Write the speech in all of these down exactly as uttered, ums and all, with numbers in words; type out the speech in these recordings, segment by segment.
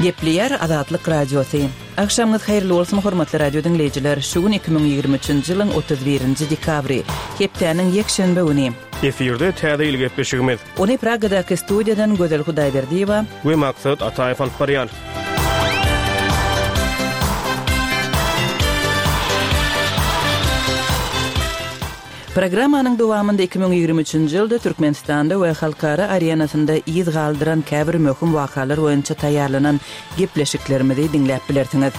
Gepleýär Azatlyk Radiosy. Agşamyňyz haýyrly bolsun hormatly radio diňleýjiler. Şu gün iki müň ýigrimi üçünji ýylyň otuz birinji dekabry, hepdäniň ýekşenbe güni. Efirde täze ýyl gepleşigimiz. Ony Pragadaky studiýadan Gözel Hudaýberdiýewa we Maksat Ataýew alyp barýar. Programmanyň dowamynda iki müň ýigrimi üçünji ýylda Türkmenistanda we halkara arenasynda ýyz galdyran käbir möhüm wakalar boýunça taýýarlanan gepleşiklerimizi diňläp bilersiňiz.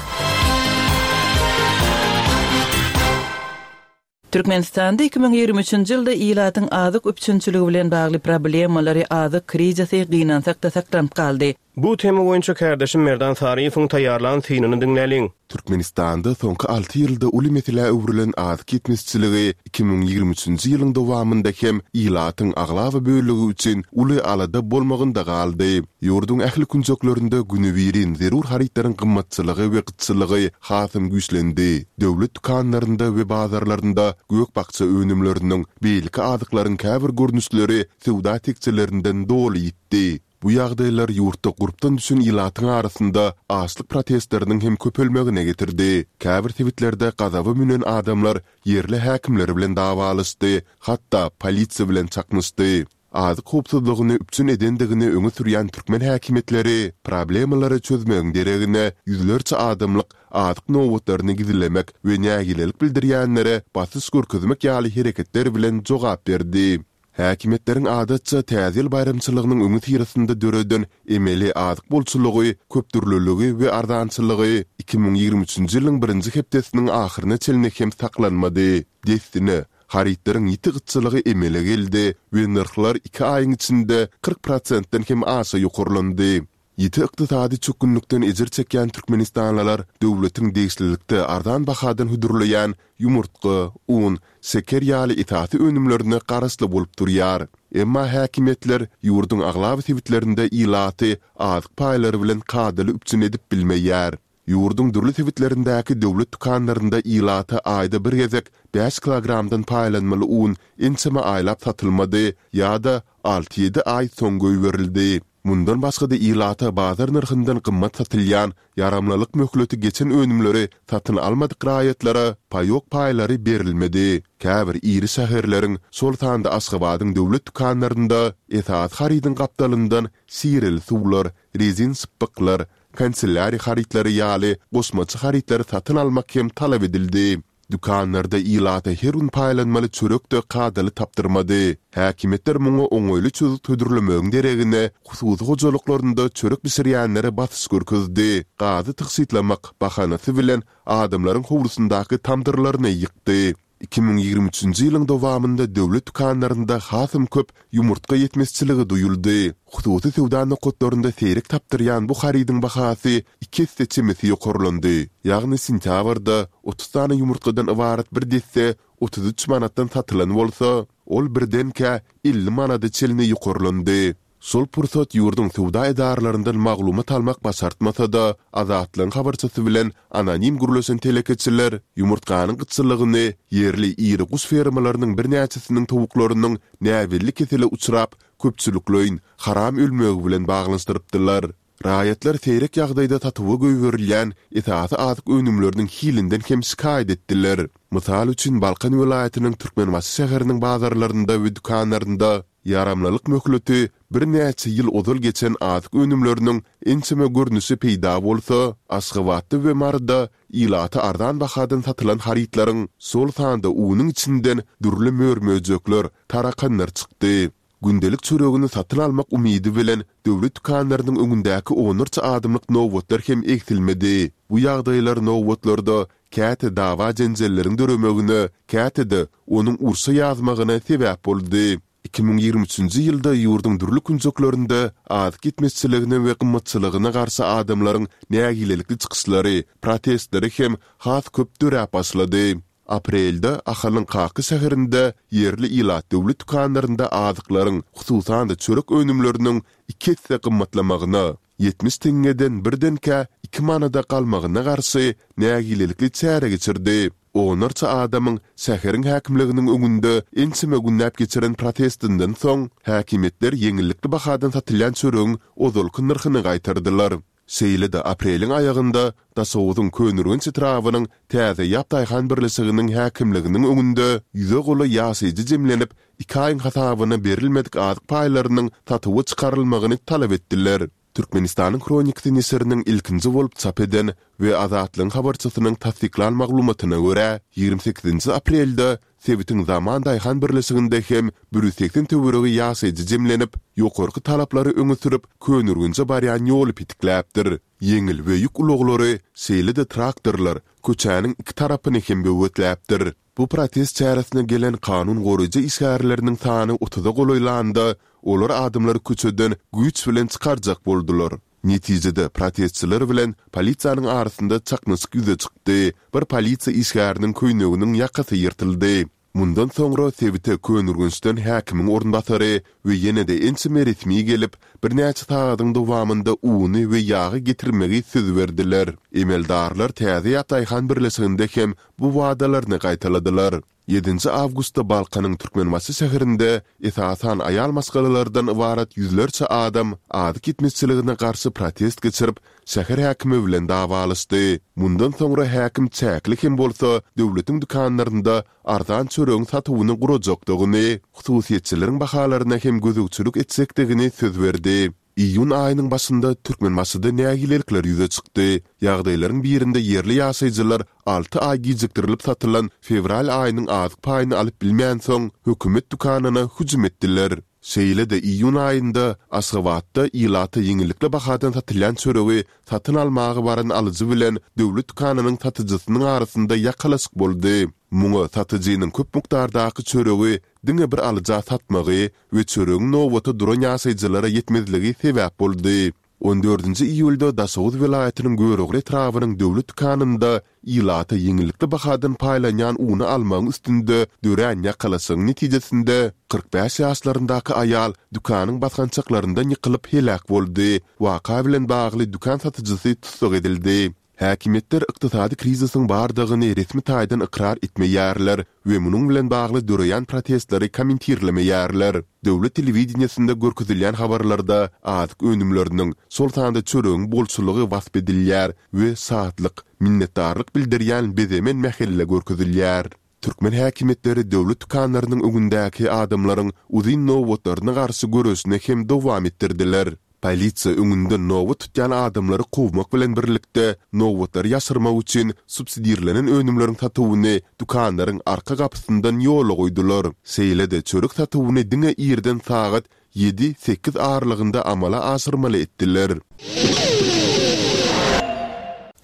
Türkmenistanda iki müň ýigrimi üçünji ýylda ilatyň azyk üpjünçiligi bilen bagly problemalary azyk krizisi gynansak-da saklanyp galdy. Bu tema boýunça kardeşim Merdan Saryýewiň taýýarlan synyny diňläliň. Türkmenistanda soňky alty ýylda uly meselä öwrülen azyk ýetmezçiligi iki müň ýigrimi üçünji ýylyň dowamynda hem ilatyň aglaba bölegi üçin uly alada bolmagynda galdy. Ýurduň ähli künjeklerinde günübirin zerur harytlaryň gymmatçylygy we gytçylygy hasam güýçlendi. Döwlet dükanlarynda we bazarlarynda gök-bakja önümleriniň, beýleki azyklaryň käbir görnüşleri söwda tekjelerinden doly ýitdi. Bu ýagdaýlar ýurtda gurpdan düşen ilatyň arasynda açlyk protestleriniň hem köpelmegine getirdi. Käbir sebitlerde gazaba münen adamlar ýerli häkimler bilen dawalaşdy, hatda polisiýa bilen çaknyşdy. Azyk howpsuzlygyny üpjün edendigini öňe sürýän türkmen häkimiýetleri problemalary çözmegiň deregine ýüzlerçe adamlyk azyk nobatlaryny gizlemek we nägilelik bildirýänlere basyş görkezmek ýaly hereketler bilen jogap berdi. Häkimiýetleriň adatça täze ýyl baýramçylygynyň öňi syrasynda döreden emeli azyk bolçulygy, köpdürlüligi we arzançylygy iki müň ýigrimi üçünji ýylyň birinji hepdesiniň ahyryna çenli hem saklanmady. Dessine, harytlaryň ýiti gytçylygy emele geldi we nyrhlar iki aýyň içinde kyrk prosentden hem aşa ýokarlandy. Ýiti ykdysady çökgünlikden ejir çekýän türkmenistanlylar döwletiň degişlilikde arzan bahadan hödürleýän ýumurtga, un, şeker ýaly esasy önümlerine garaşly bolup durýar. Emma häkimiýetler ýurduň aglaba sebitlerinde ilaty azyk paýlary bilen kadaly üpjün edip bilmeýär. Ýurduň dürli sebitlerindäki döwlet dükanlarynda ilata aýda bir gezek bäş kilogramdan paýlanmaly un ençeme aýlap satylmady ýa-da alty-ýedi aý soň goýberildi. Mundan başga-da ilata bazar nyrhyndan gymmat satylýan, ýaramlylyk möhleti geçen önümleri satyn almadyk raýatlara paýok paýlary berilmedi. Käbir iri şäherleriň, şol sanda Aşgabadyň döwlet dükanlarynda esasy harydyň gapdalyndan şireli suwlar, rezin şypbyklar, kanselýariýa harytlary ýaly goşmaça harytlary satyn almak hem talap edildi. Dükanlarda ilata her gün paýlanmaly çörek-de kadaly tapdyrmady. Häkimiýetler muňa oňaýly çözgüt hödürlemegiň deregine, hususy hojalyklarynda çörek bişirýänlere basyş görkezdi, gazy tygşytlamak bahanasy bilen adamlaryň howlusyndaky tamdyrlaryny ýykdy. Iki müň ýigrimi üçünji ýylyň dowamynda döwlet dükanlarynda hasam köp ýumurtga ýetmezçiligi duýuldy. Hususy söwda nokatlarynda seýrek tapdyrýan bu harydyň bahasy iki esse çemesi ýokarlandy. Ýagny sentýabrda otuz sany ýumurtgadan ybarat bir desse otuz üç manatdan satylan bolsa, ol birdenkä elli manada çenli ýokarlandy. Şol pursat ýurduň söwda edaralaryndan maglumat almak başartmasa-da, Azatlygyň habarçysy bilen anonim gürleşen telekeçiler ýumurtganyň gytçylygyny ýerli iri guş fermalarynyň birnäçesiniň towuklarynyň näbelli kesele uçrap, köpçülikleýin haram ölmegi bilen baglanyşdyrypdylar. Raýatlar seýrek ýagdaýda satuwa goýberilýän esasy azyk önümleriniň hilinden hem şikaýat etdiler. Mysal üçin, Balkan welaýatynyň Türkmenbaşy şäheriniň bazarlarynda we dükanlarynda ýaramlylyk möhleti birnäçe ýyl ozal geçen azyk önümleriniň ençeme görnüşi peýda bolsa, Aşgabatda we Maryda ilata arzan bahadan satylan harytlaryň, şol sanda unuň içinden dürli mör-möjekler, tarakanlar çykdy. Gündelik çöregini satyn almak umydy bilen döwlet dükanlarynyň öňündäki onlarça adamlyk nobatlar hem egsilmedi. Bu ýagdaýlar nobatlarda käte dawa-jenjelleriň döremegine, käte-de onuň urşa ýazmagyna sebäp boldy. Iki müň ýigrimi üçünji ýylda ýurduň dürli künjeklerinde azyk ýetmezçiligine we gymmatçylygyna garşy adamlaryň nägilelikli çykyşlary, protestleri hem has köp döräp başlady. Aprelde Ahalyň Kaka şäherinde ýerli ilat döwlet dükanlarynda azyklaryň, hususan-da çörek önümleriniň iki esse gymmatlamagyna, ýetmiş teňňeden birdenkä iki manada galmagyna garşy nägilelikli çäre geçirdi. Onlarça adamyň şäheriň häkimliginiň öňünde ençeme günläp geçiren protestinden soň, häkimiýetler ýeňillikli bahadan satylýan çöregiň ozalky nyrhyny gaýtardylar. Şeýle-de apreliň aýagynda Daşoguzyň Köneürgenç etrabynyň Täze ýap daýhan birleşiginiň häkimliginiň öňünde ýüze golaý ýaşaýjy jemlenip, iki aýyň hasabyna berilmedik azyk paýlarynyň satuwa çykarylmagyny talap etdiler. Türkmenistanyň Hronikasy neşiriniň ilkinji bolup çap eden we Azatlygyň habarçysynyň tassyklan maglumatyna görä, ýigrimi sekizinji aprelde sebitiň Zaman daýhan birleşiginde hem bir ýüz segsen töweregi ýaşaýjy jemlenip, ýokarky talaplary öňe sürüp, Köneürgenje barýan ýoly petikläpdir. Ýeňil we ýük ulaglary, şeýle-de traktorlar köçäniň iki tarapyny hem böwetläpdir. Bu protest çäresine gelen kanun goraýjy işgärleriniň sany otuza golaýlanda, olar adamlary köçeden güýç bilen çykarjak boldular. Netijede, protestçiler bilen polisiýanyň arasynda çaknyşyk ýüze çykdy, bir polisiýa işgäriniň köýneginiň ýakasy ýyrtyldy. Mundan soňra sebite Köneürgençden häkimiň orunbasary we ýene-de ençeme resmi gelip, birnäçe sagadyň dowamynda uny we ýagy getirmegi söz berdiler. Emeldarlar Täze ýap daýhan birleşiginde hem bu wadalaryny gaýtaladylar. Ýedinji awgustda Balkanyň Türkmenbaşy şäherinde esasan aýal maşgalalardan ybarat ýüzlerçe adam azyk ýetmezçiligine garşy protest geçirip, şäher häkimi bilen dawalaşdy. Mundan soňra häkim çäkli hem bolsa döwletiň dükanlarynda arzan çöregiň satuwyny gurajakdygyny, hususyýetçileriň bahalaryna hem gözegçilik etjekdigini söz berdi. Iýun aýynyň başynda Türkmenbaşyda nägilelikler ýüze çykdy. Ýagdaýlaryň birinde ýerli ýaşaýjylar alty aý gijikdirilip satylan fewral aýynyň azyk paýyny alyp bilmänsoň, hökümet dükanyna hüjüm etdiler. Şeýle-de iýun aýynda Aşgabatda ilata ýeňillikli bahadan satylýan çöregi satyn almaga baran alyjy bilen döwlet dükanynyň satyjysynyň arasynda ýakalaşyk boldy. Muňa satyjynyň köp mukdardaky çöregi diňe bir alyja satmagy we çöregiň nobata duran ýaşaýjylara ýetmezligi sebäp boldy. On dördünji iýulda Daşoguz welaýatynyň Görogly etrabynyň döwlet dükanynda ilata ýeňillikli bahadan paýlanýan uny almagyň üstünde dörän ýakalaşygyň netijesinde kyrk bäş ýaşlaryndaky aýal dükanyň basgançaklaryndan ýykylyp heläk boldy. Waka bilen bagly dükan satyjysy tussag edildi. Häkimiýetler ykdysady krizisiň bardygyny resmi taýdan ykrar etmeýärler we munuň bilen bagly döreýän protestleri kommentirlemeýärler. Döwlet telewideniýesinde görkezilýän habarlarda azyk önümleriniň, şol sanda çöregiň bolçulygy wasp edilýär we şatlyk, minnetdarlyk bildirýän bezemen mähelle görkezilýär. Türkmen häkimiýetleri döwlet dükanlarynyň öňündäki adamlaryň uzyn nobatlaryna garşy göreşini hem dowam etdirdiler. Polisiýa öňünden nobat tutýan adamlary kowmak bilen birlikde, nobatlary ýaşyrmak üçin subsidirlenen önümleriň satuwyny dükanlaryň arka gapysyndan ýola goýdular. Şeýle-de çörek satuwyny diňe irden sagat ýedi-sekiz aralygynda amala aşyrmaly etdiler.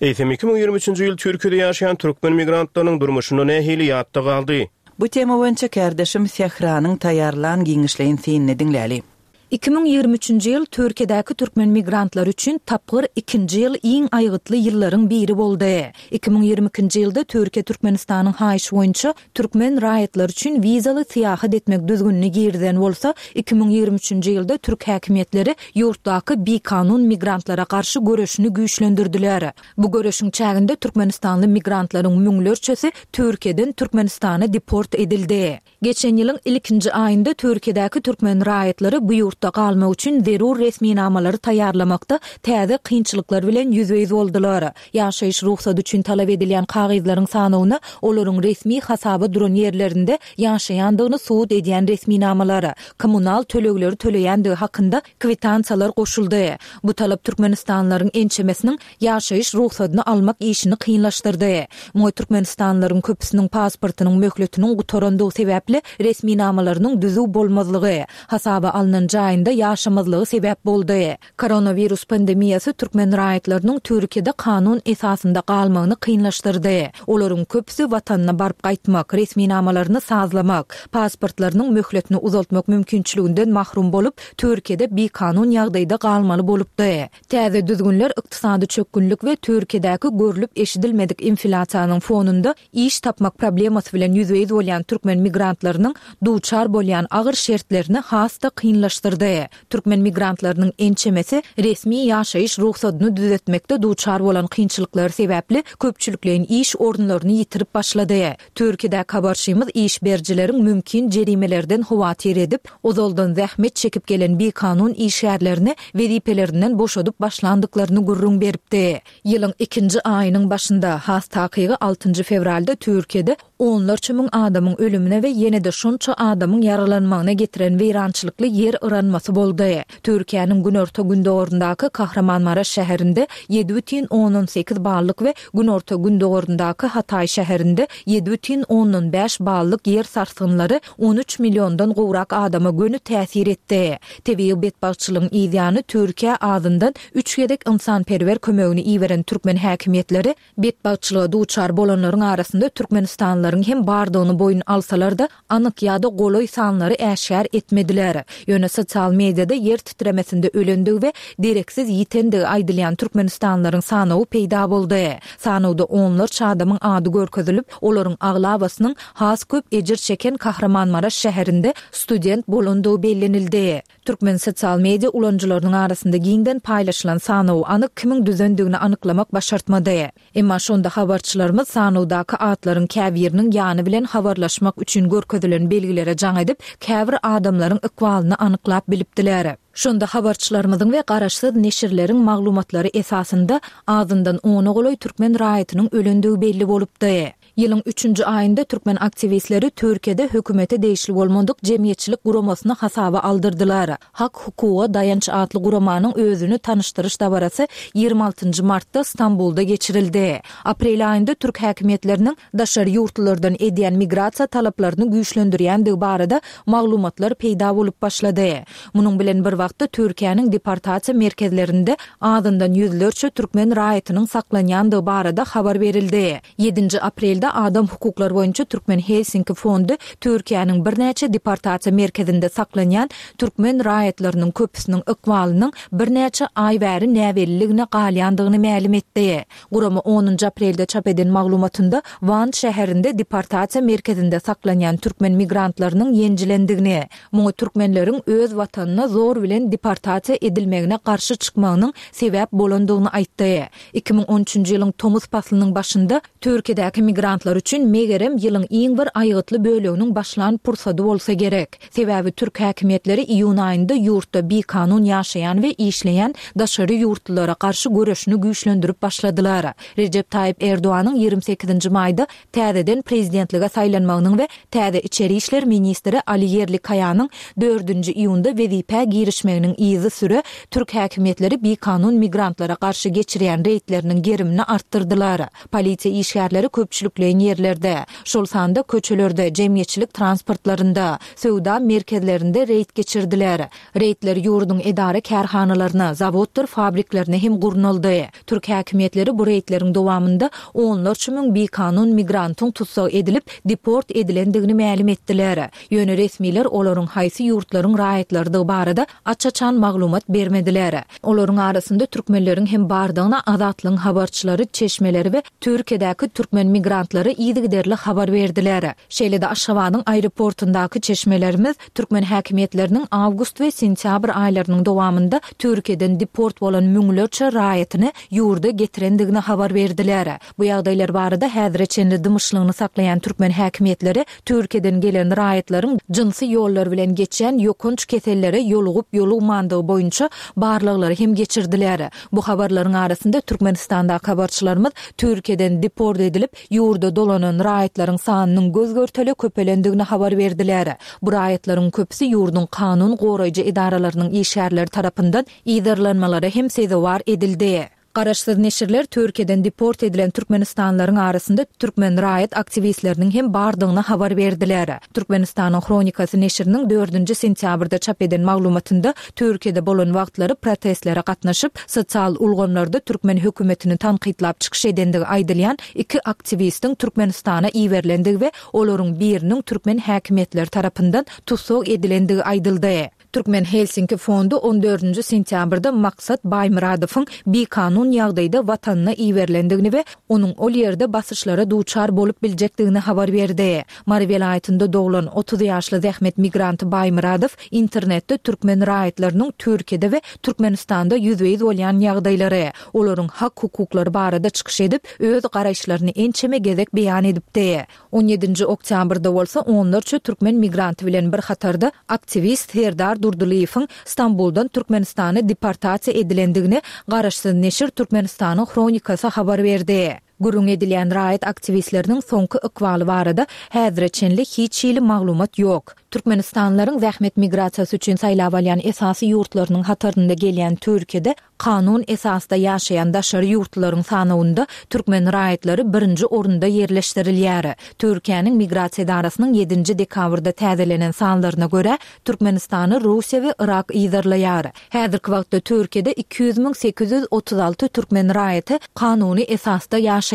Eýsem, iki müň ýigrimi üçünji ýyl Türkiýede ýaşaýan türkmen migrantlarynyň durmuşynda nähili ýatda galdy? Bu tema boýunça kärdeşim Sähranyň taýýarlan giňişleýin synyny diňläli. Iki müň ýigrimi üçünji ýyl Türkiýedäki türkmen migrantlary üçin tapgyr ikinji ýyl iň aýgytly ýyllaryň biri boldy. Iki müň ýigrimi ikinji ýylda Türkiýe Türkmenistanyň haýyşy boýunça türkmen raýatlary üçin wizaly syýahat etmek düzgünini girizen bolsa, iki müň ýigrimi üçünji ýylda türk häkimiýetleri ýurtdaky bikanun migrantlara garşy göreşini güýçlendirdiler. Bu göreşiň çäginde türkmenistanly migrantlaryň müňlerçesi Türkiýeden Türkmenistana deport edildi. Geçen ýylyň ilkinji aýynda Türkiýedäki türkmen raýatlary bu ýurtda galmak üçin zerur resminamalary taýýarlamakda täze kynçylyklar bilen ýüzbe-ýüz boldular. Ýaşaýyş rugsady üçin talap edilýän kagyzlaryň sanawyna olaryň resmi hasaba duran ýerlerinde ýaşaýandygyny subut edýän resminamalar, kommunal tölegleri töleýändigi hakynda kwitansiýalar goşuldy. Bu talap türkmenistanlylaryň ençemesiniň ýaşaýyş rugsadyny almak işini kynlaşdyrdy. Muňa türkmenistanlylaryň köpüsiniň pasportynyň möhletiniň gutarandygy sebäpli resminamalarynyň düzüw bolmazlygy, hasaba alnan jaýynda ýaşamazlygy sebäp boldy. Koronawirus pandemiýasy türkmen raýatlarynyň Türkiýede kanun esasynda galmagyny kynlaşdyrdy. Olaryň köpüsi watanyna baryp gaýtmak, resminamalaryny sazlamak, pasportlarynyň möhletini uzaltmak mümkinçiliginden mahrum bolup, Türkiýede bikanun ýagdaýda galmaly bolupdy. Täze düzgünler ykdysady çökgünlik we Türkiýedäki görlüp-eşidilmedik inflýasiýanyň fonunda iş tapmak problemasy bilen ýüzbe-ýüz bolýan türkmen migrantlarynyň duçar bolýan agyr şertlerini has-da kynlaşdyrdy. bardy. Türkmen migrantlarynyň ençemesi resmi ýaşaýyş rugsadyny düzetmekde duçar bolan kynçylyklary sebäpli köpçülikleýin iş orunlaryny ýitirip başlady. Türkiýedäki habarçymyz iş berijileriň mümkin jerimelerden howatyr edip, ozaldan zähmet çekip gelen bikanun işgärlerini wezipelerinden boşadyp başlandyklaryny gürrüň beripdi. Ýylyň ikinji aýynyň başynda, has takygy altynjy fewralda Türkiýede onlarça müň adamyň ölümine we ýene-de şonça adamyň ýaralanmagyna getiren weýrançylykly ýer yranmasy boldy. Türkiýäniň günorta-gündogaryndaky Kahramanmaraş şäherinde ýedi bütin ondan sekiz ballyk we günorta-gündogaryndaky Hataý şäherinde ýedi bütin ondan bäş ballyk ýer sarsgynlary on üç milliondan gowrak adama göni täsir etdi. Tebigy betbagtçylygyň yzýany Türkiýä azyndan üç gezek ynsanperwer kömegini iberen türkmen häkimiýetleri betbagtçylyga duçar bolanlaryň arasynda türkmenistanlylaryň hem bardygyny boýun alsalar-da, anyk ýa-da golaý sanlary äşgär etmediler. Ýöne sosial mediada ýer titremesinde ölendigi we dereksiz ýitendigi aýdylýan türkmenistanlylaryň sanawy peýda boldy. Sanawda onlarça adamyň ady görkezilip, olaryň aglabasynyň has köp ejir çeken Kahramanmaraş şäherinde student bolandygy bellenildi. Türkmen sosial media ulanyjylarynyň arasynda giňden paýlaşylan sanawy anyk kimiň düzendigini anyklamak başartmady. Emma şonda habarçylarymyz sanawdaky atlaryň käbiriniň ýany bilen habarlaşmak üçin görkezilen belgilere jaň edip, käbir adamlaryň ykbalyny anyklap bilipdiler. Şonda habarçylarymyzyň we garaşsyz neşirleriň maglumatlary esasynda azyndan ona golaý türkmen raýatynyň ölendigi belli bolupdy. Ýylyň üçünji aýynda türkmen aktiwistleri Türkiýede hökümete degişli bolmadyk jemgyýetçilik guramasyny hasaba aldyrdylar. Hak-hukuga daýanç atly guramanyň özüni tanyşdyryş dabarasy ýigrimi altynjy martda Stambulda geçirildi. Aprel aýynda türk häkimiýetleriniň daşary ýurtlulardan edýän migrasiýa talaplaryny güýçlendirýändigi barada maglumatlar peýda bolup başlady. Munuň bilen bir wagtda Türkiýäniň deportasiýa merkezlerinde azyndan ýüzlerçe türkmen raýatynyň saklanýandygy barada habar berildi. Ýedinji aprelde Adam hukuklary boýunça Türkmen Helsinki fondy Türkiýäniň birnäçe deportasiýa merkezinde saklanýan türkmen raýatlarynyň köpüsiniň ykbalynyň birnäçe aý bäri näbelliligine galýandygyny mälim etdi. Gurama onunjy aprelde çap eden maglumatynda Wan şäherinde deportasiýa merkezinde saklanýan türkmen migrantlarynyň ýenjilendigini, muňa türkmenleriň öz watanyna zor bilen deportasiýa edilmegine garşy çykmagynyň sebäp bolandygyny aýtdy. Iki müň on üçünji ýylyň tomus paslynyň başynda Türkiýedäki migrantlar üçin megerem ýylyň iň bir aýgytly böleginiň başlan pursady bolsa gerek. Sebäbi türk häkimiýetleri iýun aýynda ýurtda bikanun ýaşaýan we işleýän daşary ýurtlulara garşy göreşini güýçlendirip başladylar. Rejep Taýyp Erdoganyň ýigrimi sekizinji maýda täzeden prezidentlige saýlanmagynyň we täze içeri işler ministri Ali Ýerlikaýanyň dördünji iýunda wezipä girişmeginiň yzysüre türk häkimiýetleri bikanun migrantlara garşy geçirýän reýdleriniň gerimini artdyrdylar. Polisiýa işgärleri köpçülikleýin ýerlerde, şol sanda köçelerde, jemgyýetçilik transportlarynda, söwda merkezlerinde reýd geçirdiler. Reýdler ýurduň edara-kärhanalaryna, zawoddyr fabriklerine hem gurnaldy. Türk häkimiýetleri bu reýdleriň dowamynda onlarça müň bikanun migrantyň tussag edilip, deport edilendigini mälim etdiler. Ýöne resmiler olaryň haýsy ýurtlaryň raýatlarydygy barada aç-açan maglumat bermediler. Olaryň arasynda türkmenleriň hem bardygyna Azatlygyň habarçylary, çeşmeleri we Türkiýedäki türkmen migrantlary yzygiderli habar berdiler. Şeýle-de Aşgabadyň aeroportundaky çeşmelerimiz türkmen häkimiýetleriniň awgust we sentýabr aýlarynyň dowamynda Türkiýeden deport bolan müňlerçe raýatyny ýurda getirendigini habar berdiler. Bu ýagdaýlar barada häzire çenli dymyşlygyny saklaýan türkmen häkimiýetleri Türkiýeden gelen raýatlaryň jynsy ýollar bilen geçýän ýokanç kesellere ýolugyp-ýolugmandygy boýunça barlaglary hem geçirdiler. Bu habarlaryň arasynda Türkmenistandaky habarçylarymyz Türkiýeden deport edilip, ýurda dolanan raýatlaryň sanynyň göz-görtele köpelendigini habar berdiler. Bu raýatlaryň köpüsi ýurduň kanun goraýjy edaralarynyň işgärleri tarapyndan yzarlanmalara hem sezewar edildi. Garaşsyz neşirler Türkiýeden deport edilen türkmenistanlylaryň arasynda türkmen raýat aktiwistleriniň hem bardygyny habar berdiler. Türkmenistanyň Hronikasy neşiriniň dördünji sentýabrda çap eden maglumatynda Türkiýede bolan wagtlary protestlere gatnaşyp, sosial ulgamlarda türkmen hökümetini tankytlap çykyş edendigi aýdylýan iki aktiwistiň Türkmenistana iberilendigi we olaryň biriniň türkmen häkimiýetleri tarapyndan tussag edilendigi aýdyldy. Türkmen Helsinki fondy on dördünji sentýabrda Maksat Baýmyradowyň bikanun ýagdaýda watanyna iberilendigini we onuň ol ýerde basyşlara duçar bolup biljekdigini habar berdi. Mary welaýatynda doglan otuz ýaşly zähmet migranty Baýmyradow internetde türkmen raýatlarynyň Türkiýede we Türkmenistanda ýüzbe-ýüz bolýan ýagdaýlary, olaryň hak-hukuklary barada çykyş edip, öz garaýyşlaryny ençeme gezek beýan edipdi. On ýedinji oktýabrda bolsa onlarça türkmen migranty bilen bir hatarda aktiwist Serdar Durdylyýewiň Stambuldan Türkmenistana deportasiýa edilendigini garaşsyz neşir Türkmenistanyň Hronikasy habar berdi. Gürrüň edilýän raýat aktiwistleriniň soňky ykbaly barada häzire çenli hiç hili maglumat ýok. Türkmenistanlylaryň zähmet migrasiýasy üçin saýlap alýan esasy ýurtlarynyň hatarynda gelýän Türkiýede kanun esasda ýaşaýan daşary ýurtlularyň sanawynda türkmen raýatlary birinji orunda ýerleşdirilýär. Türkiýäniň migrasiýa edarasynyň ýedinji dekabrda täzelenen sanlaryna görä, Türkmenistany Russiýa we Yrak yzarlaýar. Häzirki wagtda Türkiýede iki ýüz müň sekiz ýüz otuz alty türkmen raýaty kanuny esasda ýaşaýar.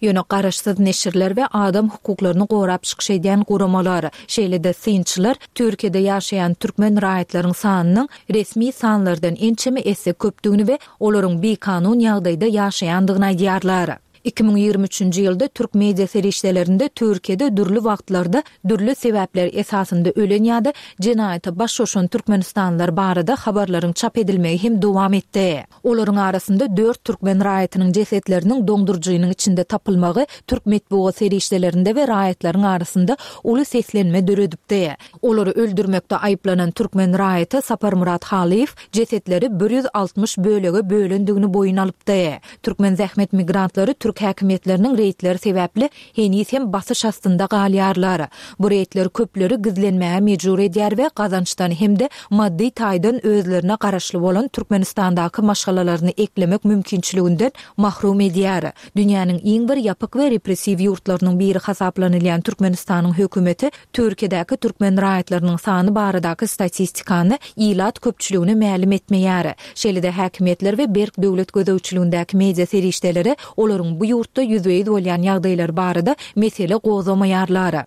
Ýöne garaşsyz neşirler we adam hukuklaryny gorap çykyş edýän guramalar, şeýle-de synçylar Türkiýede ýaşaýan türkmen raýatlaryň sanynyň resmi sanlardan ençeme esse köpdügini we olaryň bikanun ýagdaýda ýaşaýandygyny aýdýarlar. Iki müň ýigrimi üçünji ýylda türk media serişdelerinde Türkiýede dürli wagtlarda dürli sebäpler esasynda ölen ýa-da jenaýata baş goşan türkmenistanlylar barada habarlaryň çap edilmegi hem dowam etdi. Olaryň arasynda dört türkmen raýatynyň jesetleriniň doňduryjynyň içinde tapylmagy türk metbugat serişdelerinde we raýatlaryň arasynda uly seslenme döredipdi. Olary öldürmekde aýyplanan türkmen raýaty Saparmyrat Halyýew jesetleri bir ýüz altmyş bölege bölendigini boýun alypdy. Türkmen zähmet migrantlary türk häkimiýetleriniň reýdleri sebäpli heniz hem basyş astynda galýarlar. Bu reýdler köpleri gizlenmäge mejbur edýär we gazançdan hem-de maddy taýdan özlerine garaşly bolan Türkmenistandaky maşgalalaryny eklemek mümkinçiliginden mahrum edýär. Dünýäniň iň bir ýapyk we repressiw ýurtlarynyň biri hasaplanylýan Türkmenistanyň hökümeti Türkiýedäki türkmen raýatlarynyň sany baradaky statistikany ilat köpçüligine mälim etmeýär. Şeýle-de häkimiýetler we berk döwlet gözegçiligindäki media serişdeleri olaryň bu ýurtda ýüzbe-ýüz bolýan ýagdaýlary barada mesele gozgamaýarlar.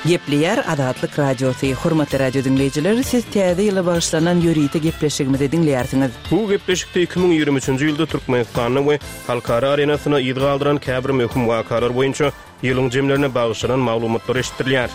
Gepleýär Azatlyk Radiosy. Hormatly radio diňleýjiler, siz täze ýyla bagyşlanan ýörite gepleşigimizi diňleýärsiňiz. Bu gepleşikde iki müň ýigrimi üçünji ýylda Türkmenistanda we halkara arenasyna yz galdyran käbir möhüm wakalar boýunça ýylyň jemlerine bagyşlanan maglumatlar eşitdirilýär.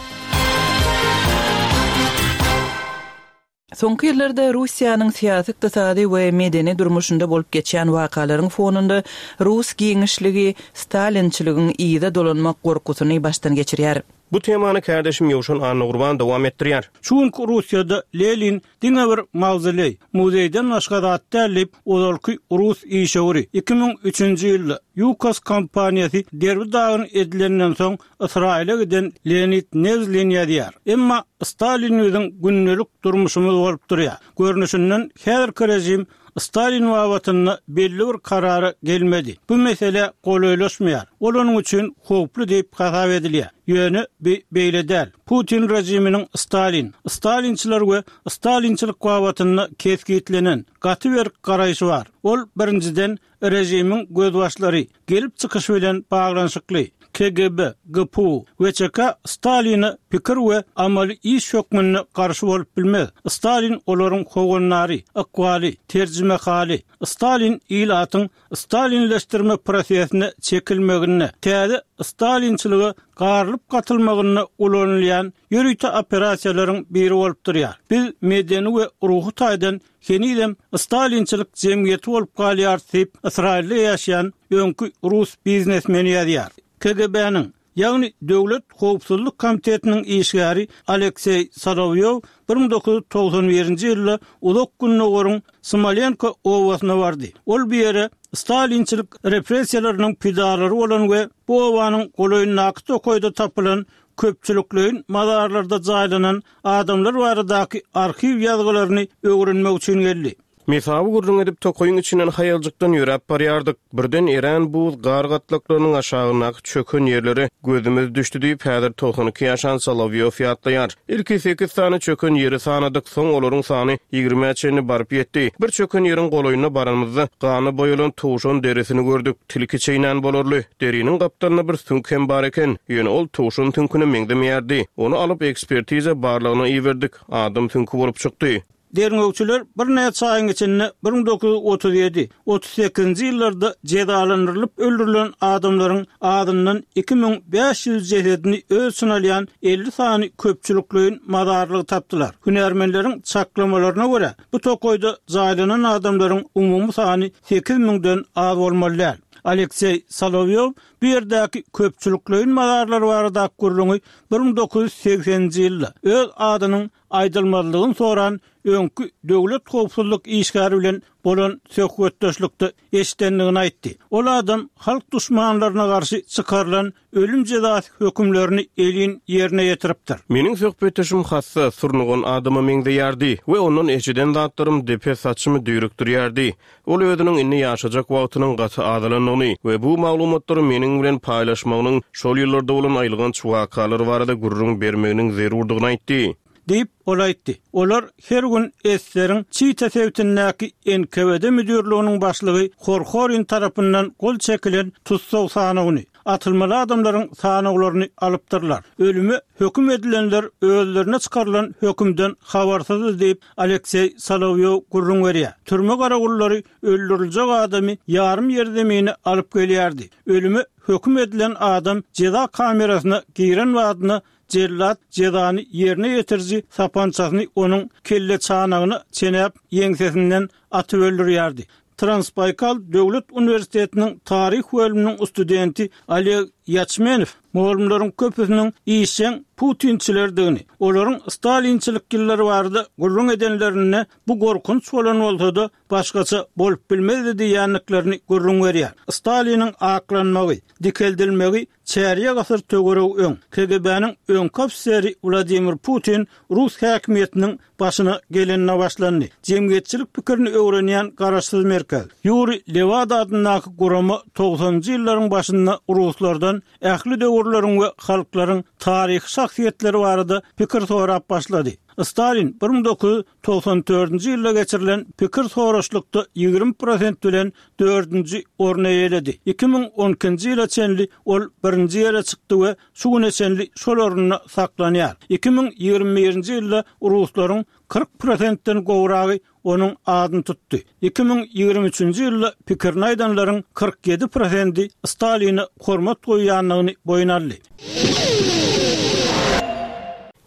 Soňky ýyllarda Russiýanyň syýasy, ykdysady we medeni durmuşynda bolup geçen wakalaryň fonunda Rus giňişligi Stalinçiligiň yza dolanmak gorkusyny başdan geçirýär. Bu temany kardeşim Ýowşan Annagurban dowam etdirýär. Çünki Russiýada Lenin diňe bir mawzoleý, muzeýden başga zat däl diýip, ozalky Rus işewüri iki müň üçünji ýylda Yukos kompaniýasy derbi dagyn edilenden soň Ysraýyla giden Leonid Nevzlin ýazýar. Emma Stalin biziň gündelik durmuşymyz bolup durýar. Görnüşinden häzirki rejim Stalin babatynda belli bir karara gelmedi. Bu mesele golaýlaşmaýar. Ol onuň üçin howply diýip hasap edilýär. Ýöne bi beýle däl. Putin rejiminiň Stalin, Stalinçiler we Stalinçilik babatynda kesgitlenen gaty berk garaýşy bar. Ol birinjiden rejimiň gözbaşlary gelip çykyş bilen baglanyşykly. K G B, G P U we Ç K Staline pikir we amaly iş hökmünde garşy bolup bilmez. Stalin olaryň howanlary, ykbaly, terjimehali. Stalin ilatyň Stalinleşdirme prosesine çekilmeginde, täze Stalinçilige garylyp gatylmagynda ulanylýan ýörite operasiýalaryň biri bolup durýar. Biz medeni we ruhy taýdan henizem Stalinçilik jemgyýeti bolup galýar diýip, Ysraýylda ýaşaýan öňki rus biznesmeni ýazýar. K G B-niň, ýagny Döwlet Howpsuzlyk Komitetiniň işgäri Alekseý Solowýow bir müň dokuz ýüz togsan birinji ýylda Uzak Gündogaryň Smolenko obasyna bardy. Ol bu ýere Stalinçilik repressiýalarynyň pidalary bolan we bu obanyň golaýyndaky tokaýda tapylan köpçülikleýin mazarlarda jaýlanan adamlar baradaky arhiw ýazgylaryny öwrenmek üçin geldi. Mesawy gürrüň edip tokaýyň içinden haýaljykdan ýöräp barýardyk. Birden erän buz gar gatlaklarynyň aşagyndaky çöken ýerlere gözümiz düşdi diýip, häzir togsan iki ýaşan Solowýow ýatlaýar. Ilki sekiz sany çöken ýeri sanadyk, soň olaryň sany ýigrimä çenli baryp ýetdi. Bir çöken ýeriň golaýyna baranymyzda gana boýalan towşan derisini gördük. Tilki çeýnän bolarly. Deriniň gapdalynda bir süňk hem bar eken. Ýöne ol towşan süňküne meňzemeýärdi. Ony alyp ekspertiza barlagyna iberdik. Adam süňki bolup çykdy. Derňewçiler birnäçe aýyň içinde bir müň dokuz ýüz otuz ýedi, otuz sekizinji ýyllarda jezalandyrylyp öldürilen adamlaryň azyndan iki müň bäş ýüz jesedini öz içine alýan elli sany köpçülikleýin mazarlygy tapdylar. Hünärmenleriň çaklamalaryna görä, bu tokaýda jaýlanan adamlaryň umumy sany sekiz müňden az bolmaly däl. Alekseý Solowýow bu ýerdäki köpçülikleýin mazarlar baradaky gürrüňi bir müň dokuz ýüz segseninji ýylda öz adynyň aýdylmazlygyny soran öňki döwlet howpsuzlyk işgäri bilen bolan söhbetdeşlikde eşidendigini aýtdy. Ol adam halk duşmanlaryna garşy çykarylan ölüm jezasy hökümlerini elin ýerine ýetiripdir. Meniň söhbetdeşim hassa, surnugan adama meňzeýärdi we ondan eşiden zatlarym depe saçymy düýrükdirýärdi. Ol özüniň indi ýaşajak wagtynyň gaty azalandygyny we bu maglumatlary meniň bilen paýlaşmagynyň şol ýyllarda bolan aýylganç wakalar barada gürrüň bermeginiň zerurdygyny aýtdy. Diýip, ol aýtdy. Olar her gün Eseriň Çita sebitindäki N K V D müdürliginiň başlygy Horhorin tarapyndan gol çekilen tussag sanawyny, atylmaly adamlaryň sanawlaryny alypdyrlar. Ölüme höküm edilenler özlerine çykarylan hökümden habarsyz diýip, Alekseý Solowýow gürrüň berýär. Türme garagullary öldüriljek adamy ýarym ýer zemini alyp gelýärdi. Ölüme höküm edilen adam jeza kamerasyna giren badyna cellat jezany ýerine ýetiriji sapançasyny onuň kelle çanagyny çenäp ýeňsesinden atyp öldürýärdi. Transbaýkal Döwlet Uniwersitetiniň taryh bölüminiň studenti Oleg Ýaçmenow mugallymlaryň köpüsiniň işjeň Putinçilerdigini, olaryň Stalinçilik ýyllary barada gürrüň edenlerinde bu gorkunç bolan bolsa-da başgaça bolup bilmezdi diýenliklerini gürrüň berýär. Staliniň aklanmagy, dikeldilmegi çärýek asyr töweregi öň K G B-niň öňki ofiseri Wladimir Putin Rus häkimiýetiniň başyna gelenine başlandy. Jemgyýetçilik pikirini öwrenýän garaşsyz merkez Ýuri Lewada adyndaky gurama togsanjy ýyllaryň başynda ruslardan ähli döwürleriň we halklaryň taryhy şahsyýetleri barada pikir sorap başlady. Stalin bir müň dokuz ýüz togsan dördünji ýylda geçirilen pikir soraşlykda ýigrimi prosent bilen dördünji orny eýeledi. Iki müň on ikinji ýyla çenli ol birinji ýere çykdy we şu güne çenli şol orunda saklanýar. Iki müň ýigrimi birinji ýylda ruslaryň kyrk prosentden gowragy onuň adyny tutdy. Iki müň ýigrimi üçünji ýylda pikirini aýdanlaryň kyrk ýedi prosenti Staline hormat goýýandygyny boýun aldy.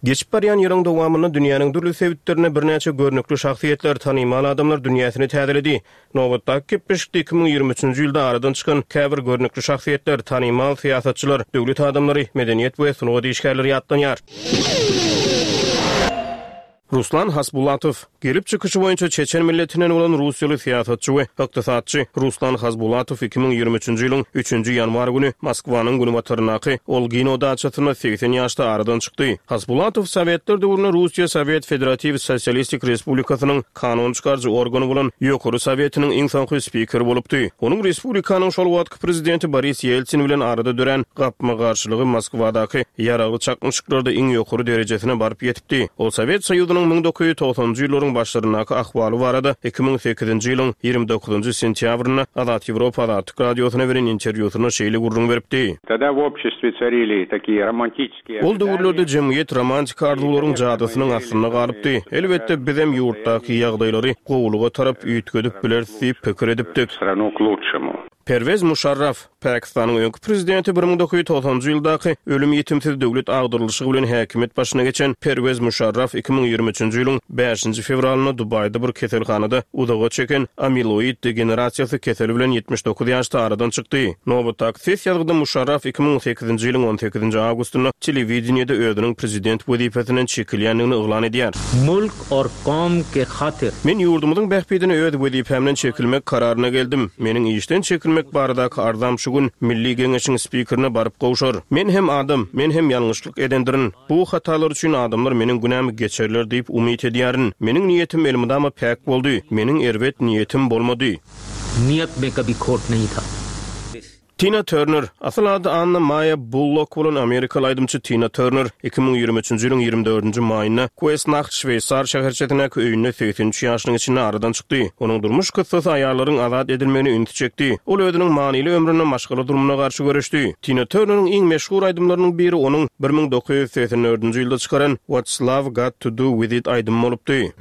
Geçip barýan ýylyň dowamynda dünýäniň dürli sebitlerinde birnäçe görnükli şahsyýetler, tanymal adamlar dünýäsini täzeledi. Nobatdaky gepleşikde iki müň ýigrimi üçünji ýylda aradan çykan käbir görnükli şahsyýetler, tanymal syýasatçylar, döwlet adamlary, medeniýet we sungat işgärleri ýatlanýar. Ruslan Hasbulatow, gelip çykyşy boýunça Çeçen milletinden bolan Russiýaly syýasatçy we ykdysatçy Ruslan Hasbulatow iki müň ýigrimi üçünji ýylyň üçünji ýanwar güni Moskwanyň günbataryndaky Olgino daçasynda segsen ýaşda aradan çykdy. Hasbulatow Sowetler döwründe Russiýa Sowet Federatiw Sosialistik Respublikasynyň kanun çykaryjy organy bolan Ýokary Sowetiniň iň soňky spikeri bolupdy. Onuň respublikanyň şol wagtky prezidenti Boris Ýeltsin bilen arada dörän gapma-garşylygy Moskwadaky ýaragly çaknyşyklarda iň ýokary derejesine baryp ýetipdi. Ol Sowet Soýuzynyň müň dokuz ýüz togsanjy ýyllaryň başlaryndaky ahwaly barada iki müň sekizinji ýylyň ýigrimi dokuzynjy sentýabrynda Azat Ýewropa Azatlyk radiosyna beren interwýusynda şeýle gürrüň beripdi. Тогда в обществе царили такие романтические Ol döwürlerde jemgyýet romantik arzuwlaryň jadysynyň astynda galypdy. Elbetde bizem ýurtdaky ýagdaýlary gowulyga tarap üýtgedip bileris diýip pikir edipdik. Страну к лучшему. Perwez Muşarraf, Pakistanyň öňki prezidenti bir müň dokuz ýüz togsanjy ýyldaky ölüm ýetimsiz döwlet agdarylyşy bilen häkimiýet başyna geçen Perwez Muşarraf iki müň ýigrimi üçünji ýylyň bäşinji fewralynda Dubaýda bir keselhanada uzaga çeken amiloid degenerasiýasy keseli bilen ýetmiş dokuz ýaşda aradan çykdy. Nobatdaky ses ýazgyda Muşarraf iki müň sekizinji ýylyň on sekizinji awgustynda telewideniýede özüniň prezident wezipesinden çekilýändigini yglan edýär. Mulk or kom ke hatyr. Men ýurdumyzyň bähbidine öz wezipämden çekilmek kararyna geldim. Meniň işden çekilmek baradaky arzam şu gün Milli Geňeşiň spikerine baryp gowşar. Men hem adam, men hem ýalňyşlyk edendirin. Bu hatalar üçin adamlar meniň günämi geçerler diýip umyt edýärin. Meniň niýetim elmydama päk boldy. Meniň erbet niýetim bolmady. Niýet me kabi khot nahi tha. Tina Turner, asyl ady Anna Maýa Bullok bolan amerikaly aýdymçy Tina Turner iki müň ýigrimi üçünji ýylyň ýigrimi dördünji maýynda Kuesnaht şweýsar şäherçesindäki öýünde segsen üç ýaşynyň içinde aradan çykdy. Onuň durmuş kyssasy aýallaryň azat edilmegine ünsi çekdi. Ol özüniň manyly ömründe maşgala durmuna garşy göreşdi. Tina Turneriň iň meşhur aýdymlarynyň biri onuň bir müň dokuz ýüz segsen dördünji ýylda çykaran What's Love Got to Do With It aýdymy bolupdy.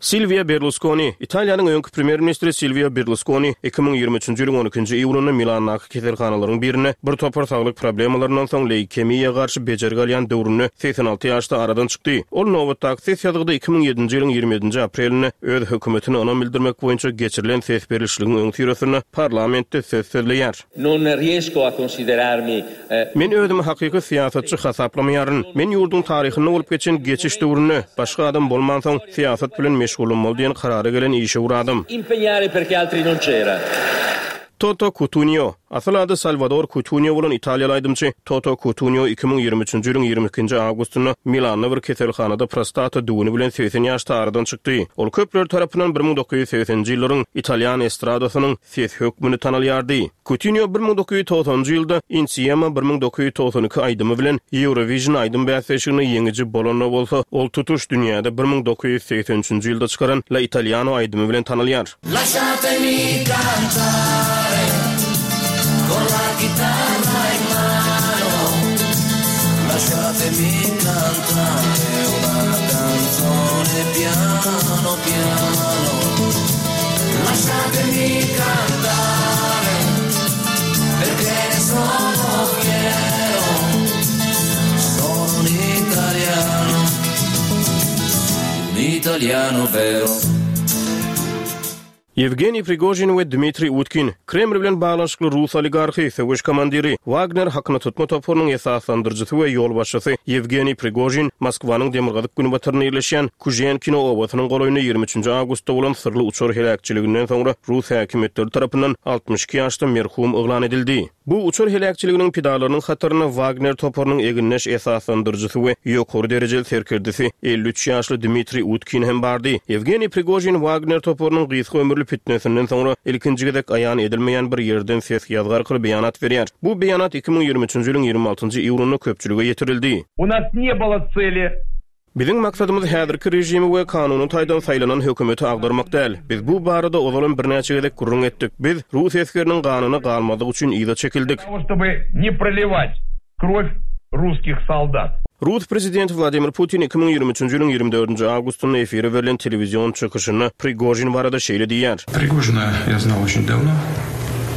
Silwio Berluskoni, Italiýanyň öňki premýer-ministri Silwio Berluskoni iki müň ýigrimi üçünji ýylyň on ikinji iýulynda Milandaky keselhanalaryň birinde bir topar saglyk problemalaryndan soň leýkemiýa garşy bejergi alýan döwründe segsen alty ýaşda aradan çykdy. Ol nobatdaky ses ýazgyda iki müň ýedinji ýylyň ýigrimi ýedinji aprelinde öz hökümetine ynam bildirmek boýunça geçirilen ses berlişligiň öňüsyrasynda parlamentde söz sözleýär. Non riesco a considerarmi Men özümi hakyky syýasatçy hasaplamaýaryn. Men ýurduň taryhynda bolup geçen geçiş döwründe, başga adam bolmansoň, syýasat bilen meşgullanmaly diýen karara gelen işewür adam. Impegnare perché altri non c'era. Toto Cutugno, asyl ady Salwador Cutugno bolan italiýaly aýdymçy Toto Cutugno iki müň ýigrimi üçünji ýylyň ýigrimi ikinji awgustynda Milanda bir keselhanada prostata düwüni bilen segsen ýaşda aradan çykdy. Ol köpler tarapyndan bir müň dokuz ýüz segseninji ýyllaryň italýan estradasynyň sesi hökmünde tanalýardy. Cutugno bir müň dokuz ýüz togsanynjy ýylda Insieme bir müň dokuz ýüz togsan iki aýdymy bilen Eurovision aýdym bäsleşiginde ýeňiji bolanda bolsa, ol tutuş dünýäde bir müň dokuz ýüz segsen üçünji ýylda çykaran La Italiano aýdymy bilen tanalýar. Lasciatemi cantare con la chitarra in mano, lasciatemi cantare una canzone piano piano, lasciatemi cantare perché ne sono fiero, sono un italiano, un italiano vero. Ýewgeniý Prigožin we Dmitriý Utkin, Kreml bilen baglanyşykly rus oligarhy, söweş komandiri, Wagner hakyna tutma toparynyň esaslandyryjysy we ýolbaşçysy Ýewgeniý Prigožin Moskwanyň demirgazyk günbatarynda ýerleşýän Kuženkino obasynyň golaýynda ýigrimi üçünji awgustda bolan syrly uçar heläkçiliginden soňra rus häkimiýetleri tarapyndan altmyş iki ýaşda merhum yglan edildi. Bu uçar heläkçiliginiň pidalarynyň hatarynda Wagner toparynyň egindeş esaslandyryjysy we ýokary derejeli serkerdesi elli üç ýaşly Dmitriý Utkin hem bardy. Ýewgeniý Prigožin Wagner toparynyň gysga ömürli fitnesinden soňra ilkinji gezek aýan edilmeýän bir ýerden ses ýazgy arkaly beýanat berýär. Bu beýanat iki müň ýigrimi üçünji ýylyň ýigrimi altynjy iýulynda köpçülige ýetirildi. U nas ne было цели. Biziň maksadymyz häzirki režimi we kanuny taýdan saýlanan hökümeti agdarmak däl. Biz bu barada ozalam birnäçe gezek gürrüň etdik. Biz rus esgeriniň ganyna galmazlyk üçin yza çekildik. Того, чтобы не проливать кровь русских солдат. Rus prezidenti Wladimir Putin iki müň ýigrimi üçünji ýylyň ýigrimi dördünji awgustynda efire berlen telewizion çykyşynda Prigožin barada şeýle diýýär. Prigožina я знал очень давно.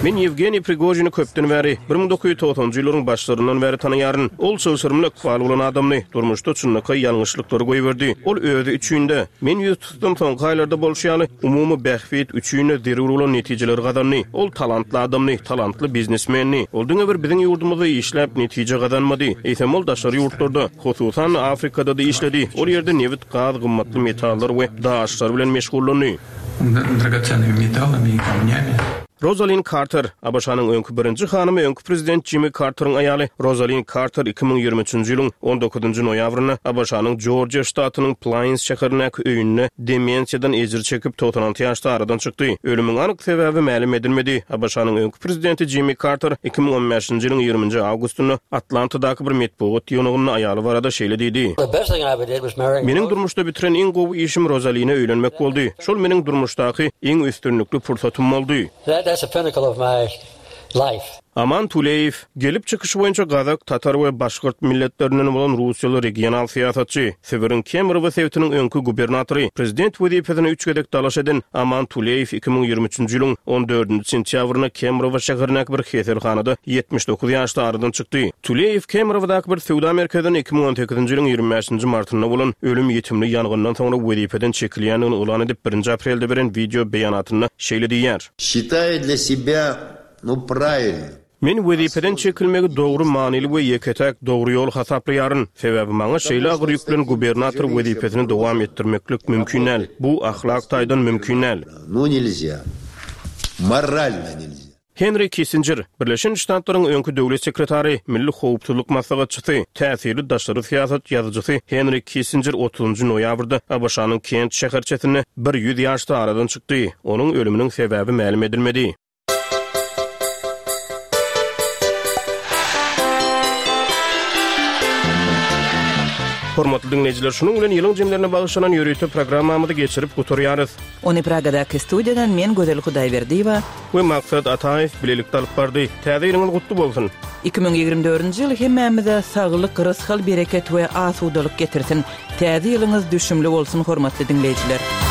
Men Ýewgeniý Prigožini köpden bäri, bir müň dokuz ýüz togsanjy ýyllaryň başlaryndan bäri tanaýaryn. Ol çylşyrymly ykbaly bolan adamdy, durmuşda çynlakaý ýalňyşlyklary goýberdi. Ol özi üçin-de, men ýüz tutdum soňky aýlarda bolşy ýaly, umumy bähbit üçin-de zerur bolan netijeleri gazandy. Ol talantly adamdy, talantly biznesmendi. Ol diňe bir biziň ýurdumyzda işläp netije gazanmady. Eýsem ol daşary ýurtlarda, hususan Afrikada-da işledi. Ol ýerde nebit, gaz, gymmatly metallar we daşlar bilen meşgullandy. Драгоценными металлами и камнями. Rosalind Carter, A B Ş-nyň öňki birinji hanymy, öňki prezident Jimmy Carteriň aýaly Rosalind Carter iki müň ýigrimi üçünji ýylyň on dokuzynjy noýabrynda A B Ş-nyň Georgia ştatynyň Plains şäherindäki öýünde demensiýadan ejir çekip togsan alty ýaşda aradan çykdy. Ölümiň anyk sebäbi mälim edilmedi. A B Ş-nyň öňki prezidenti Jimmy Carter iki müň on bäşinji ýylyň ýigriminji awgustynda Atlantadaky bir metbugat ýygnagynda aýaly barada şeýle diýdi. The best thing I ever did was marry Meniň durmuşda bitiren iň gowy işim Rosaline öýlenmek boldy. Şol meniň durmuşdaky iň üstünlikli pursatym boldy. That, that's the pinnacle of my life. Aman Tuleýew, gelip çykyşy boýunça gazak, tatar we başgyrt milletlerinden bolan russiýaly regional syýasatçy, Sibiriň Kemerowo sebitiniň öňki gubernatory, prezident wezipesine üç gezek dalaş eden Aman Tuleýew iki müň ýigrimi üçünji ýylyň on dördünji sentýabrynda Kemerowo şäherindäki bir keselhanada ýetmiş dokuz ýaşda aradan çykdy. Tuleýew Kemerowodaky bir söwda merkezinde iki müň on sekizinji ýylyň ýigrimi bäşinji martynda bolan ölüm-ýitimli ýangyndan soňra wezipeden çekilýändigini yglan edip, birinji aprelde beren wideo beýanatynda şeýle diýýär. Считаю для себя, ну, правильно. Men wezipeden çekilmegi dogry, manyly we ýeke-täk dogry ýol hasaplaýaryn. Sebäbi maňa şeýle agyr ýük bilen gubernator wezipesini dowam etdirmeklik mümkin däl. Bu ahlak taýdan mümkin däl. Ну, нельзя. Морально нельзя. Henri Kissinjer, Birleşen Ştatlaryň öňki döwlet sekretary, Milli howpsuzlyk maslahatçysy, täsirli daşary syýasat ýazyjysy Henri Kissinjer otuzynjy noýabrda ABŞ-nyň Kent şäherçesinde bir ýüz ýaşda aradan çykdy. Onuň ölüminiň sebäbi mälim edilmedi. Hormatly diňleýjiler, şunuň bilen ýylyň jemlerine bagyşlanan ýörite programmamyzy geçirip gutarýarys. Ony Pragadaky studiýadan men Gözel Hudaýberdiýewa we Maksat Ataýew bilelikde alyp bardy. Täze ýylyňyz gutly bolsun. Iki müň ýigrimi dördünji ýyl hemmämize saglyk, rysgal, bereket we asudalyk getirsin. Täze ýylyňyz düşümli bolsun, hormatly diňleýjiler.